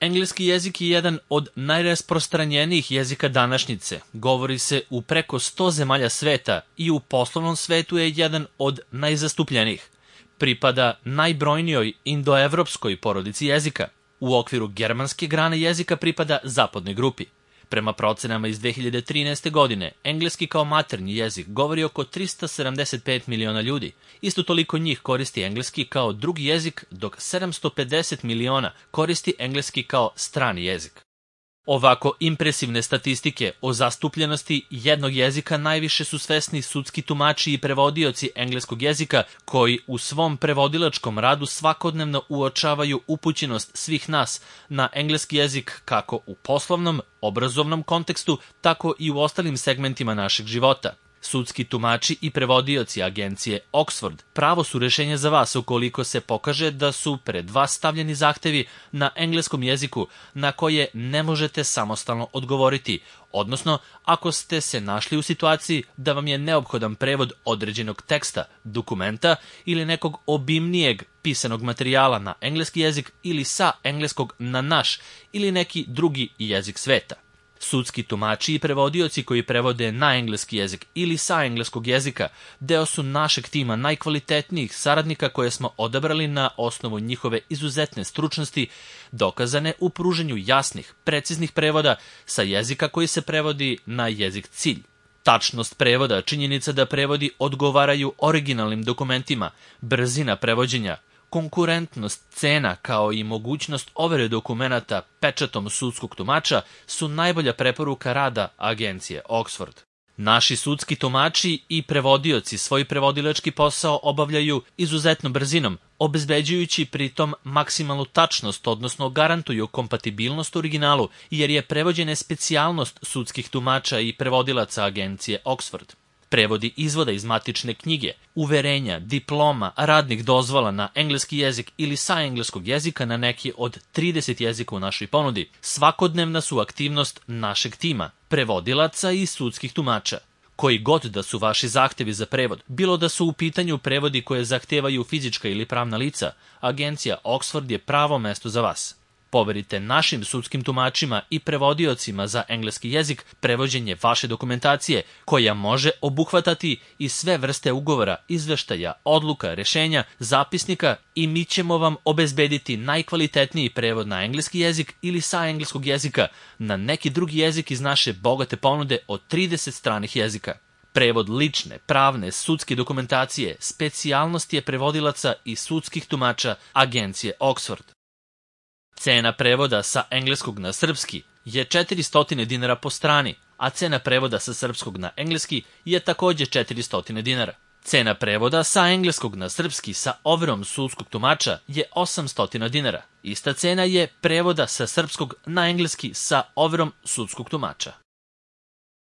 Engleski jezik je jedan od najrasprostranjenijih jezika današnjice. Govori se u preko 100 zemalja sveta i u poslovnom svetu je jedan od najzastupljenijih. Pripada najbrojnijoj indoevropskoj porodici jezika. U okviru germanske grane jezika pripada zapadnoj grupi. Prema procenama iz 2013. godine, engleski kao maternji jezik govori oko 375 miliona ljudi. Isto toliko njih koristi engleski kao drugi jezik, dok 750 miliona koristi engleski kao strani jezik. Ovako impresivne statistike o zastupljenosti jednog jezika najviše su svesni sudski tumači i prevodioci engleskog jezika koji u svom prevodilačkom radu svakodnevno uočavaju upućenost svih nas na engleski jezik kako u poslovnom, obrazovnom kontekstu, tako i u ostalim segmentima našeg života. Sudski tumači i prevodioci agencije Oxford pravo su rešenje za vas ukoliko se pokaže da su pred vas stavljeni zahtevi na engleskom jeziku na koje ne možete samostalno odgovoriti, odnosno ako ste se našli u situaciji da vam je neophodan prevod određenog teksta, dokumenta ili nekog obimnijeg pisanog materijala na engleski jezik ili sa engleskog na naš ili neki drugi jezik sveta. Sudski tumači i prevodioci koji prevode na engleski jezik ili sa engleskog jezika deo su našeg tima najkvalitetnijih saradnika koje smo odabrali na osnovu njihove izuzetne stručnosti, dokazane u pruženju jasnih, preciznih prevoda sa jezika koji se prevodi na jezik cilj. Tačnost prevoda, činjenica da prevodi odgovaraju originalnim dokumentima, brzina prevođenja, konkurentnost cena kao i mogućnost overe dokumenata pečatom sudskog tumača su najbolja preporuka rada agencije Oxford. Naši sudski tumači i prevodioci svoj prevodilački posao obavljaju izuzetnom brzinom, obezbeđujući pritom maksimalnu tačnost, odnosno garantuju kompatibilnost originalu, jer je prevođena specijalnost sudskih tumača i prevodilaca agencije Oxford. Prevodi izvoda iz matične knjige, uverenja, diploma, radnih dozvola na engleski jezik ili sa engleskog jezika na neki od 30 jezika u našoj ponudi svakodnevna su aktivnost našeg tima, prevodilaca i sudskih tumača. Koji god da su vaši zahtevi za prevod, bilo da su u pitanju prevodi koje zahtevaju fizička ili pravna lica, agencija Oxford je pravo mesto za vas. Poverite našim sudskim tumačima i prevodiocima za engleski jezik prevođenje vaše dokumentacije, koja može obuhvatati i sve vrste ugovora, izveštaja, odluka, rešenja, zapisnika i mi ćemo vam obezbediti najkvalitetniji prevod na engleski jezik ili sa engleskog jezika na neki drugi jezik iz naše bogate ponude od 30 stranih jezika. Prevod lične, pravne, sudske dokumentacije, specijalnost je prevodilaca i sudskih tumača agencije Oxford. Cena prevoda sa engleskog na srpski je 400 dinara po strani, a cena prevoda sa srpskog na engleski je takođe 400 dinara. Cena prevoda sa engleskog na srpski sa overom sudskog tumača je 800 dinara. Ista cena je prevoda sa srpskog na engleski sa overom sudskog tumača.